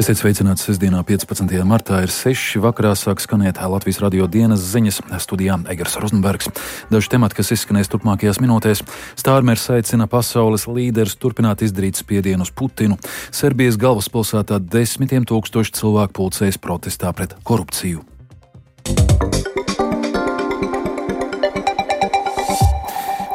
Esiet sveicināti sestdienā 15. martā ir 6. vakarā sāk skanēt Latvijas radio dienas ziņas, studijā Egers Rozenbergs. Daži temati, kas izskanēs turpmākajās minūtēs. Stārmers aicina pasaules līderus turpināt izdarīt spiedienu uz Putinu. Serbijas galvaspilsētā 10 000 cilvēku pulcējas protestā pret korupciju.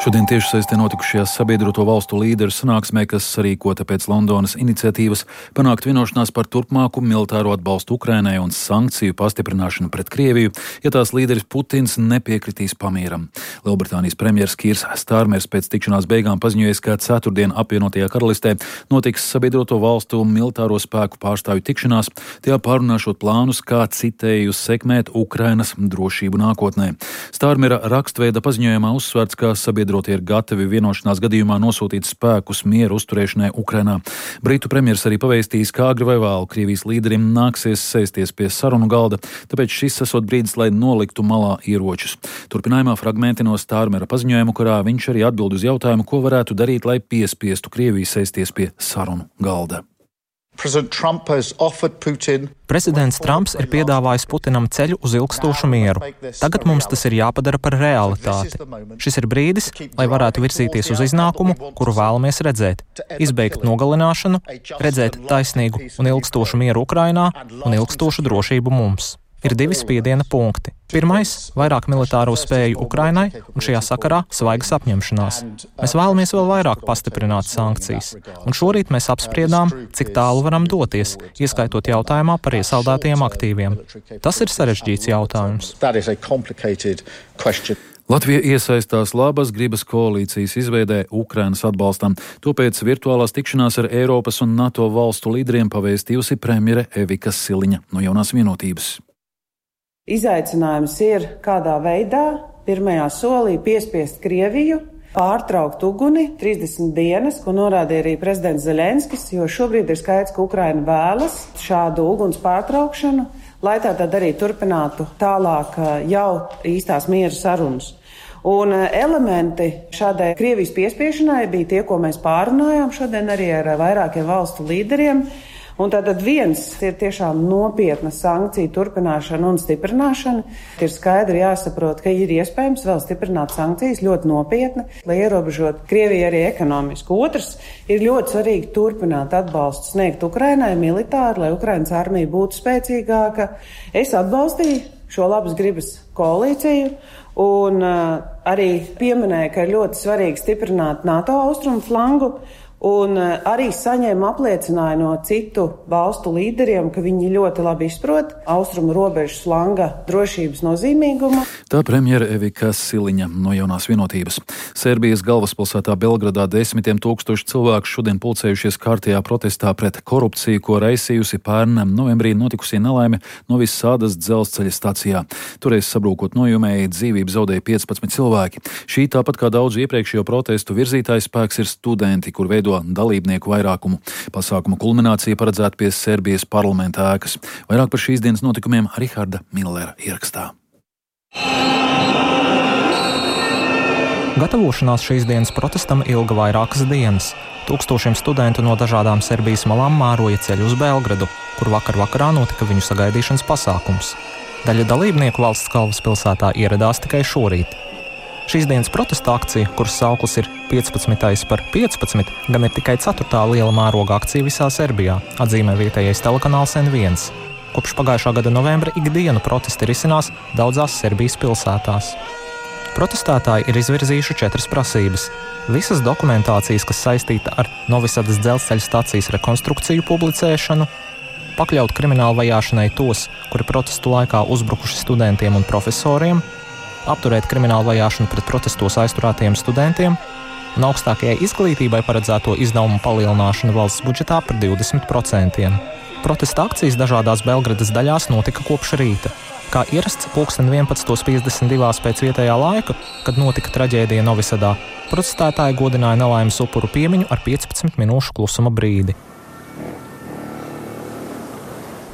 Šodien tiešsaistē notikušajā sabiedroto valstu līderu sanāksmē, kas sarīkota pēc Londonas iniciatīvas, panākt vienošanās par turpmāku militāro atbalstu Ukrainai un sankciju pastiprināšanu pret Krieviju, ja tās līderis Putins nepiekritīs pamieram. Lielbritānijas premjers Kīrs Stārmers pēc tikšanās beigām paziņojis, ka ceturtdien apvienotajā karalistē notiks sabiedroto valstu militāro spēku pārstāvju tikšanās, tajā pārunāšot plānus, kā citēju sekmēt Ukrainas drošību nākotnē. Stārmera rakstveida paziņojumā uzsvērts, ka sabiedrotie ir gatavi vienošanās gadījumā nosūtīt spēkus mieru uzturēšanai Ukrainā. Britu premjers arī pavēstījis, ka agri vai vēlu Krievijas līderim nāksies sēsties pie sarunu galda, tāpēc šis esot brīdis, lai noliktu malā ieročus. Turpinājumā fragmenti no Stārmera paziņojumu, kurā viņš arī atbild uz jautājumu, ko varētu darīt, lai piespiestu Krieviju sēsties pie sarunu galda. Prezidents Trumps ir piedāvājis Putinam ceļu uz ilgstošu mieru. Tagad mums tas ir jāpadara par realitāti. Šis ir brīdis, lai varētu virzīties uz iznākumu, kuru vēlamies redzēt. Izbeigt nogalināšanu, redzēt taisnīgu un ilgstošu mieru Ukrainā un ilgstošu drošību mums. Ir divi spiediena punkti. Pirmais - vairāk militāro spēju Ukrainai un šajā sakarā svaigas apņemšanās. Mēs vēlamies vēl vairāk pastiprināt sankcijas. Un šorīt mēs apspriedām, cik tālu varam doties, ieskaitot jautājumā par iesaldētajiem aktīviem. Tas ir sarežģīts jautājums. Latvija iesaistās labas gribas koalīcijas izveidē Ukrainas atbalstam. Topēc virtuālās tikšanās ar Eiropas un NATO valstu līderiem pavēstījusi premjere Evika Siliņa no Jaunās vienotības. Izaicinājums ir, kādā veidā pirmajā solī piespiest Krieviju pārtraukt uguni 30 dienas, ko norādīja arī prezidents Zelenskis, jo šobrīd ir skaidrs, ka Ukraina vēlas šādu uguns pārtraukšanu, lai tātad arī turpinātu tālāk jau īstās miera sarunas. Un elementi šādai Krievijas piespiešanai bija tie, ko mēs pārunājām šodien arī ar vairākiem valstu līderiem. Un tātad viens ir tiešām nopietna sankciju turpināšana un stiprināšana. Ir skaidri jāsaprot, ka ir iespējams vēl stiprināt sankcijas ļoti nopietni, lai ierobežot Krieviju arī ekonomiski. Otrs ir ļoti svarīgi turpināt atbalstu sniegt Ukrainai militāri, lai Ukrainas armija būtu spēcīgāka. Es atbalstīju šo labas gribas koalīciju un arī pieminēju, ka ir ļoti svarīgi stiprināt NATO austrumu flangu. Un arī saņēma apliecinājumu no citu valstu līderiem, ka viņi ļoti labi izprot austrumu robežas flanga drošības nozīmīgumu. Tā premjera Evika Siliņa no Jaunās vienotības. Serbijas galvaspilsētā Belgradā 10 000 cilvēku šodien pulcējušies kārtējā protestā pret korupciju, ko raisījusi pērn novembrī notikusī nelaime Novis Sādas dzelzceļa stacijā. Toreiz sabrūkot nojumēji dzīvību zaudēja 15 cilvēki. Šī tāpat kā daudzu iepriekšējo protestu virzītājs spēks ir studenti, kur veido dalībnieku vairākumu. Pasākuma kulminācija paredzēta pie Serbijas parlamenta ēkas. Vairāk par šīs dienas notikumiem Riharda Millera ierakstā. Gatavošanās šīs dienas protestam ilga vairākas dienas. Tūkstošiem studentu no dažādām Serbijas malām māroja ceļu uz Belgradu, kur vakarā notika viņu sagaidīšanas pasākums. Daļa dalībnieku valsts galvaspilsētā ieradās tikai šorīt. Šīs dienas protesta akcija, kuras sauklis ir 15. par 15, gan ir tikai 4. liela mēroga akcija visā Serbijā, atzīmē vietējais telekanāls N1. Kopš pagājušā gada novembra ikdienu protesti risinās daudzās Serbijas pilsētās. Protestētāji ir izvirzījuši 4 prasības. Visas dokumentācijas, kas saistīta ar Novisadas dzelzceļa stacijas rekonstrukciju publicēšanu, pakļaut kriminālu vajāšanai tos, kuri protestu laikā uzbrukuši studentiem un profesoriem, apturēt kriminālu vajāšanu pret protestos aizturētajiem studentiem un augstākajai izglītībai paredzēto izdevumu palielināšanu valsts budžetā par 20%. Protesta akcijas dažādās Belgradas daļās notika kopš rīta. Kā ierasts 11:52 pēc vietējā laika, kad notika traģēdija Novisadā, protestētāji godināja nelaimes upuru piemiņu ar 15 minūšu klusuma brīdi.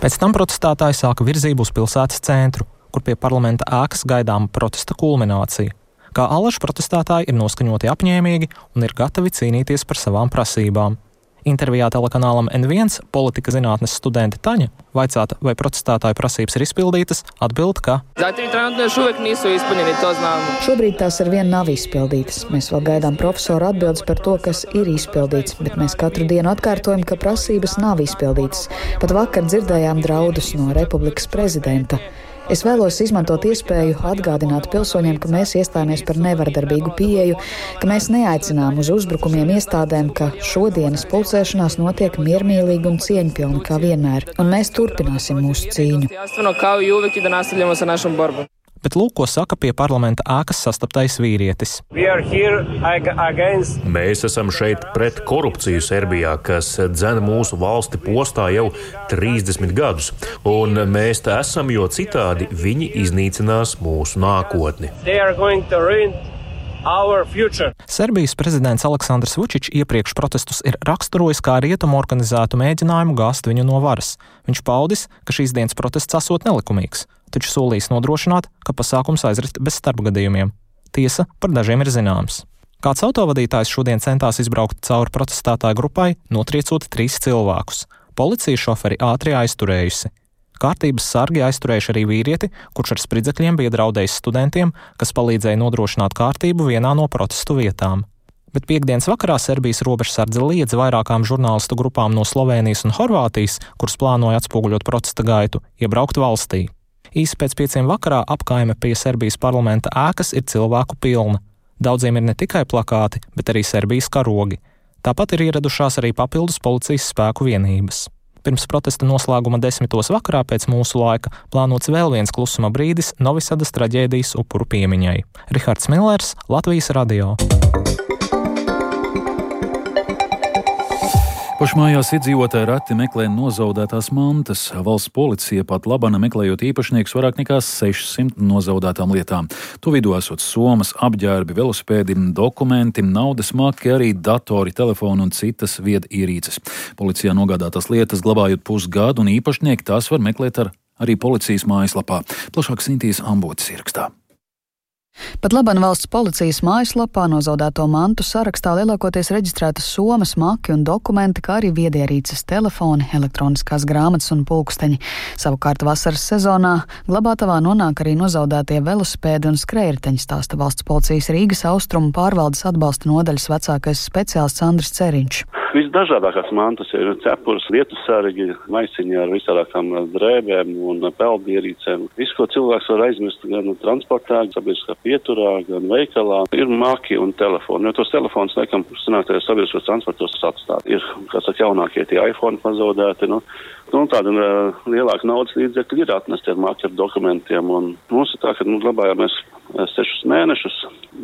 Pēc tam protestētāji sāka virzību uz pilsētas centru, kur pie parlamenta ēkas gaidāma protesta kulminācija. Kā allaž protestētāji ir noskaņoti apņēmīgi un ir gatavi cīnīties par savām prasībām. Intervijā telekanālam N1 politika zinātnes studente Taņa vaicāta, vai protestētāju prasības ir izpildītas, atbild, ka šobrīd tās ar vienu nav izpildītas. Mēs vēl gaidām profesoru atbildes par to, kas ir izpildīts, bet mēs katru dienu atkārtojam, ka prasības nav izpildītas. Pat vakar dzirdējām draudus no Republikas prezidenta. Es vēlos izmantot iespēju atgādināt pilsoņiem, ka mēs iestājāmies par nevardarbīgu pieeju, ka mēs neaicinām uz uzbrukumiem iestādēm, ka šodienas pulcēšanās notiek miermīlīgi un cieņpilni kā vienmēr, un mēs turpināsim mūsu cīņu. Bet lūk, ko saka pie parlamenta ēkas sastaptais vīrietis. Mēs esam šeit pret korupciju Serbijā, kas dzen mūsu valsti postā jau 30 gadus. Un mēs te esam, jo citādi viņi iznīcinās mūsu nākotni. Serbijas prezidents Aleksandrs Vučičs iepriekš protestus ir raksturojis kā rietumu organizētu mēģinājumu gāzt viņu no varas. Viņš paudis, ka šīs dienas protests esot nelikumīgs, taču solījis nodrošināt, ka pasākums aizrit bez starpgadījumiem. Tiesa par dažiem ir zināms. Kāds autovadītājs šodien centās izbraukt cauri protestētāju grupai, notriecot 3 cilvēkus. Policija šoferi ātri aizturējusi. Kārtības sargi aizturējuši arī vīrieti, kurš ar spridzekļiem bija draudējis studentiem, kas palīdzēja nodrošināt kārtību vienā no protestu vietām. Bet piektdienas vakarā Serbijas robežsardze liedza vairākām žurnālistu grupām no Slovēnijas un Horvātijas, kuras plānoja atspoguļot protesta gaitu, iebraukt valstī. Īsi pēc 5 vakarā apkaime pie Serbijas parlamenta ēkas ir cilvēku pilna. Daudziem ir ne tikai plakāti, bet arī Serbijas karogi. Tāpat ir ieradušās arī papildus policijas spēku vienības. Pirms protesta noslēguma 10. vakarā pēc mūsu laika plānots vēl viens klusuma brīdis Novisadas traģēdijas upuru piemiņai. Rihards Millers, Latvijas radio. Pašmājās iedzīvotāji reti meklē nozaudētās mantas. Valsts policija pat labana meklējot īpašniekus vairāk nekā 600 nozaudētām lietām. To vidū esot somas, apģērbi, velosipēdi, dokumenti, naudas maki, arī datori, telefoni un citas viedierīces. Policijā nogādātās lietas glabājot pusgadu, un īpašnieki tās var meklēt arī policijas mājaslapā. Plašāk Sintīs Ambotes ierakstā. Pat labam valsts policijas mājaslapā nozaudēto mantu sarakstā lielākoties reģistrētas somas, maki un dokumenti, kā arī viedierīces, telefoni, elektroniskās grāmatas un pulksteņi. Savukārt vasaras sezonā glabātavā nonāk arī nozaudētie velosipēdi un skrējriteņi, stāsta valsts policijas Rīgas austrumu pārvaldes atbalsta nodaļas vecākais speciālists Andris Ceriņš. Visdažādākās mantas ir cepures, vietu sargi, maisiņi ar visādākām drēbēm un peldierīcēm. Visu, ko cilvēks var aizmirst gan transportā, sabiedriskā pieturā, gan veikalā, ir maki un telefoni. Jo tos telefonus, laikam, sanāktajos sabiedriskos transportos atstāt. Ir, kā saka, jaunākie tie iPhone pazaudēti, tāda lielāka naudas līdzekļi ir atnesti ar maki ar dokumentiem. Un mums ir tā, ka glabājāmies 6 mēnešus,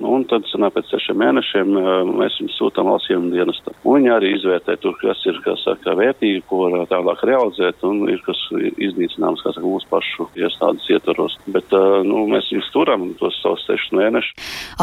un tad pēc 6 mēnešiem mēs viņus sūtām valsts dienestam. Un viņi arī izvērtē tur, kas ir, vērtīgi, ko var tālāk realizēt, un ir kas iznīcināms, mūsu pašu iestādes ietvaros. Bet, mēs viņus turam tos savus 6 mēnešus.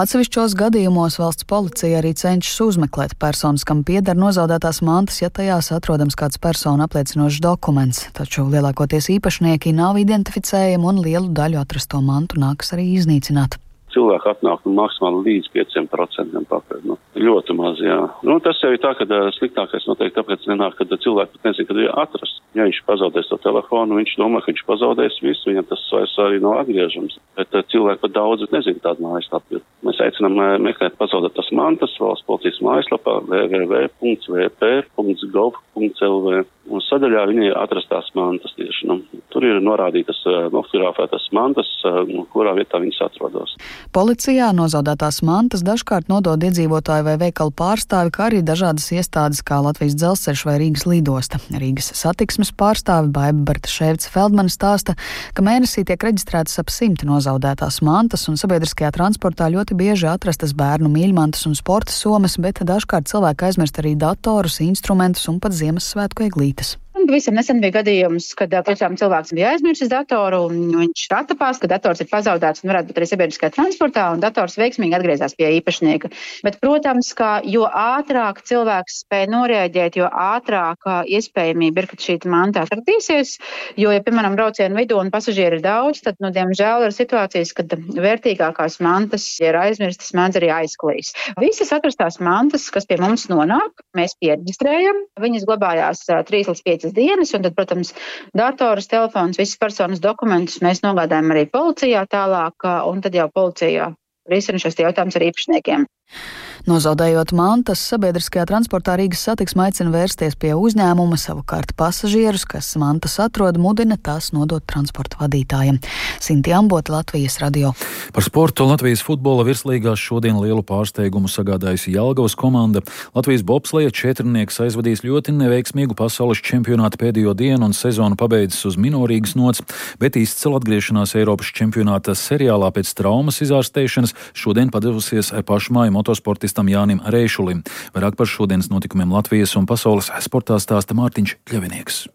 Atsevišķos gadījumos valsts policija arī cenšas uzmeklēt personas, kam pieder nozaudētās mantas, ja tajās atrodams kāds personu apliecinošs dokuments. Taču lielākoties īpašnieki nav identificējami un lielu daļu atrasto mantu nākas arī iznīcināt. Cilvēki atnāk maksimāli līdz 5% pakaļ. Ļoti maz, jā. Tas jau ir tā, ka sliktākais noteikti tāpēc nenāk, kad cilvēki pat nezin, kad ir atrasts. Ja viņš pazaudēs to telefonu, viņš domā, ka viņš pazaudēs visu, viņam tas vairs arī nav atgriežams. Bet cilvēki pat daudz nezin tādu mājaslapu. Mēs aicinām meklēt pazaudētas mantas valsts policijas mājaslapā www.vp.gov.lv. Un sadaļā viņi ir atrastās mantas tieši. Tur ir norādītas nofotografētas mantas, kurā vietā viņas atrodas. Policijā nozaudētās mantas dažkārt nodod iedzīvotāju vai veikalu pārstāvi, kā arī dažādas iestādes kā Latvijas dzelzceļš vai Rīgas lidosta. Rīgas satiksmes pārstāve Baiba Bartaševica-Feldmane stāsta, ka mēnesī tiek reģistrētas ap 100 nozaudētās mantas, un sabiedriskajā transportā ļoti bieži atrastas bērnu mīļmantas un sporta somas, bet dažkārt cilvēki aizmirst arī datorus, instrumentus un pat Ziemassvētku eglītes. Visam nesen bija gadījums, kad tiešām cilvēks bija aizmirsis datoru un viņš attapās, ka dators ir pazaudēts un varētu būt arī sabiedriskā transportā un dators veiksmīgi atgriezās pie īpašnieka. Bet, protams, ka jo ātrāk cilvēks spēj noreaģēt, jo ātrāk iespējamība ir, ka šī manta atradīsies, jo, ja, piemēram, braucienu vidū un pasažieri ir daudz, tad, diemžēl ir situācijas, kad vērtīgākās mantas, ja ir aizmirstas, mēdz arī aizklīs. Visas atrastās mantas, kas pie mums nonāk, mēs pieregistrējam, viņas glabājās 3 līdz 5 dienas, un tad, protams, dators, telefons, visas personas dokumentus mēs nogādājam arī policijā tālāk, un tad jau policijā risina šos jautājumus ar īpašniekiem. Nozaudējot mantas, sabiedriskajā transportā Rīgas Satiksme aicina vērsties pie uzņēmuma, savukārt pasažierus, kas mantas atrod, mudina tās nodot transporta vadītājiem. Sinti Ambota, Latvijas radio. Par sportu Latvijas futbola virslīgās šodien lielu pārsteigumu sagādājusi Jelgavas komanda. Latvijas bobsleja četrnieks aizvadīs ļoti neveiksmīgu pasaules čempionātu pēdējo dienu un sezonu pabeidzis uz minorīgas nots, bet izcila atgriešanās Eiropas čempionāta seriālā pēc traumas izārstēšanas šodien padevusies pašmāju motosportistam Jānim Reišulim. Vairāk par šodienas notikumiem Latvijas un pasaules sportā stāsta Mārtiņš Kļavinieks.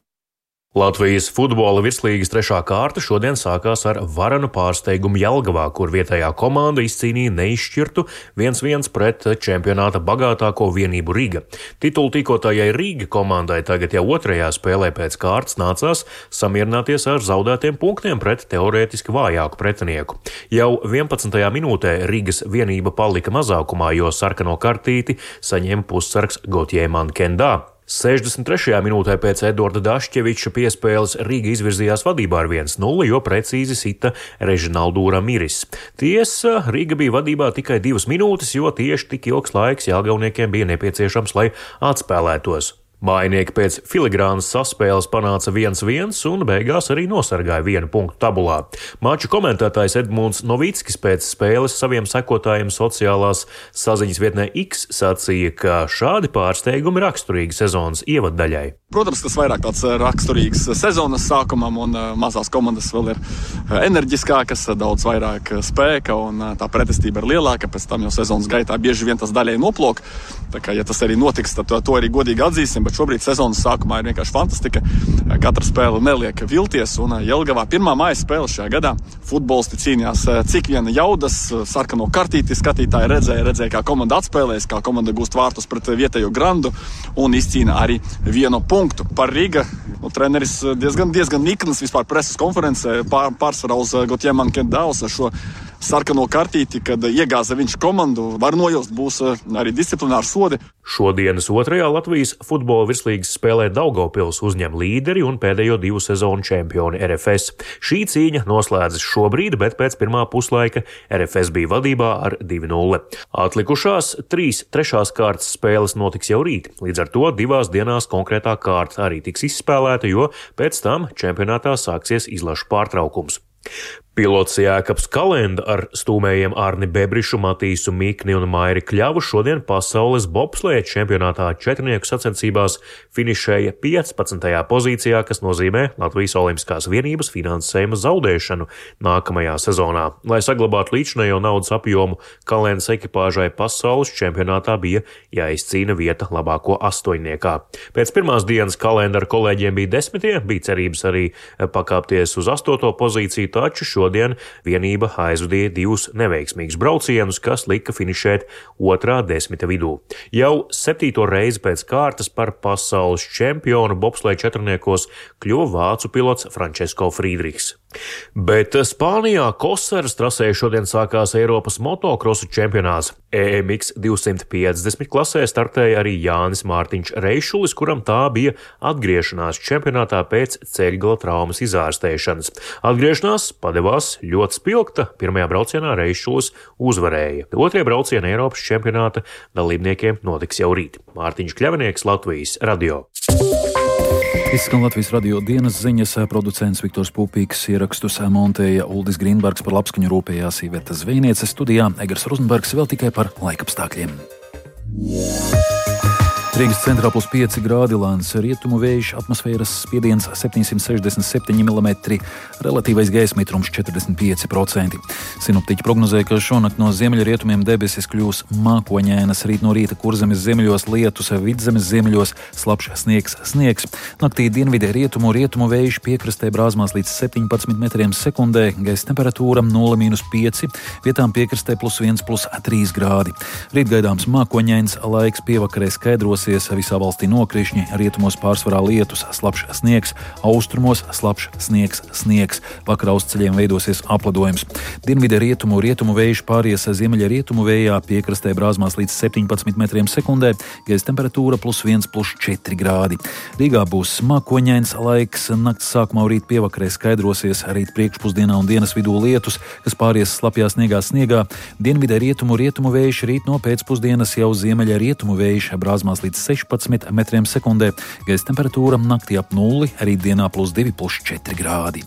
Latvijas futbola virslīgas 3. kārta šodien sākās ar varenu pārsteigumu Jelgavā, kur vietējā komanda izcīnīja neizšķirtu 1-1 pret čempionāta bagātāko vienību Riga. Titulu tīkotājai Riga komandai tagad jau 2. spēlē pēc kārtas nācās samierināties ar zaudētiem punktiem pret teorētiski vājāku pretinieku. Jau 11. minūtē Rigas vienība palika mazākumā, jo sarkano kartīti saņēma pussargs Gotjē Mankendā. 63. minūtē pēc Edvarda Dašķeviča piespēles Riga izvirzījās vadībā ar 1-0, jo precīzi sita Režinaldu Ramiris. Tiesa, Riga bija vadībā tikai 2 minūtes, jo tieši tik ilgs laiks jelgavniekiem bija nepieciešams, lai atspēlētos. Mājinieki pēc filigrānas saspēles panāca 1-1 un beigās arī nosargāja 1 punktu tabulā. Maču komentētājs Edmunds Novickis pēc spēles saviem sekotājiem sociālās saziņas vietnē X sacīja, ka šādi pārsteigumi raksturīgi sezonas ievaddaļai. Protams, tas vairāk tāds raksturīgs sezonas sākumam, un mazās komandas vēl ir enerģiskākas, daudz vairāk spēka, un tā pretestība ir lielāka, pēc tam jau sezonas gaitā bieži vien tas daļai noplok. Tā kā, ja tas arī notiks, tad to arī godīgi atzīsim, bet šobrīd sezonas sākumā ir vienkārši fantastika. Katra spēle neliek vilties, un Jelgavā pirmā mājas spēle šajā gadā futbolisti cīnījās cik viena jaudas, sarkano kartīti skatītāji redzēja, kā komanda atspēlēs, kā komanda gūst vārtus pret vietējo grandu un izcīna arī 1 punktu. Par Riga treneris diezgan niknas vispār preses konferencē pārsvarā uz Gotjē Mankendā uz šo sarkano kartīti, kad iegāza viņš komandu, var nojaust, būs arī disciplināri sodi. Šodienas 2. Latvijas futbola virslīgas spēlē Daugavpils uzņem līderi un pēdējo 2 sezonu čempioni RFS. Šī cīņa noslēdzas šobrīd, bet pēc pirmā puslaika RFS bija vadībā ar 2-0. Atlikušās 3 trešās kārtas spēles notiks jau rīt, līdz ar to 2 dienās konkrētā kārta arī tiks izspēlēta, jo pēc tam čempionātā sāksies izlašu pārtraukums. Pilots Jēkabs Kalenda ar stūmējiem Arni Bebrišu, Matīsu Mikni un Mairi Kļavu šodien pasaules bobsleja čempionātā četrnieku sacensībās finišēja 15. pozīcijā, kas nozīmē Latvijas olimpiskās vienības finansējuma zaudēšanu nākamajā sezonā. Lai saglabātu līdzinējo naudas apjomu, Kalendas ekipāžai pasaules čempionātā bija jāizcīna vieta labāko 8-niekā. Pēc pirmās dienas Kalenda ar kolēģiem bija 10, bija cerības arī pakāpties uz 8. pozīciju, taču šodien vienība aizvadīja 2 neveiksmīgus braucienus, kas lika finišēt 2. 10. vidū. Jau 7. reizi pēc kārtas par pasaules čempionu bobsleja četrniekos kļuva vācu pilots Francesco Friedrichs. Bet Spānijā Kosaras trasē šodien sākās Eiropas motokrosu čempionāts. EMX 250 klasē startēja arī Jānis Mārtiņš Reišulis, kuram tā bija atgriešanās čempionātā pēc ceļgala traumas izārstēšanas. Atgriešanās padevās ļoti spilgta. Pirmajā braucienā Reišulis uzvarēja. 2. brauciena Eiropas čempionāta dalībniekiem notiks jau rīt. Mārtiņš Kļavinieks, Latvijas radio. Izskan Latvijas radio dienas ziņas, producents Viktors Pupīks, ierakstus montēja Uldis Grīnbergs, par labskaņu rūpējās Iveta Zvejniece, studijā Egars Rozenbergs vēl tikai par laikapstākļiem. Rīgas centrā +5 grādi, lēns rietumu vējš, atmosfēras spiediens 767 mm, relatīvais gaisa mitrums 45%. Sinoptiķi prognozēja, ka šonakt no ziemeļrietumiem debesis kļūs mākoņainas, rīt no rīta Kurzemes ziemeļos lietus, Vidzemes ziemeļos slapjš sniegs. Naktī dienvidē rietumu vējš piekrastē brāzmās līdz 17 metriem sekundē, gaisa temperatūra 0–5, vietām piekrastē +1–3 grādi. Rīt gaidāms mākoņains laiks, pievakarē skaidros. Visā valstī nokrišņi, rietumos pārsvarā lietus, slapjš sniegs, austrumos slapjš sniegs. Vakarā uz ceļiem veidosies apledojums. Dienvidē rietumu vējš pāries ziemeļa rietumu vējā, piekrastē brāzmās līdz 17 metriem sekundē, gaisa temperatūra +1–4 grādi. Rīgā būs mākoņains laiks, nakts sākumā rīt pievakarē skaidrosies, rīt priekšpusdienā un dienas vidū lietus, kas pāries slapjā sniegā. Dienvidē rietumu vējš, rīt no pēcpusdienas jau ziemeļa rietumu vējš, brāzmās līdz 16 metriem sekundē, gaisa temperatūra naktī ap 0, rītdienā +2–4 grādi.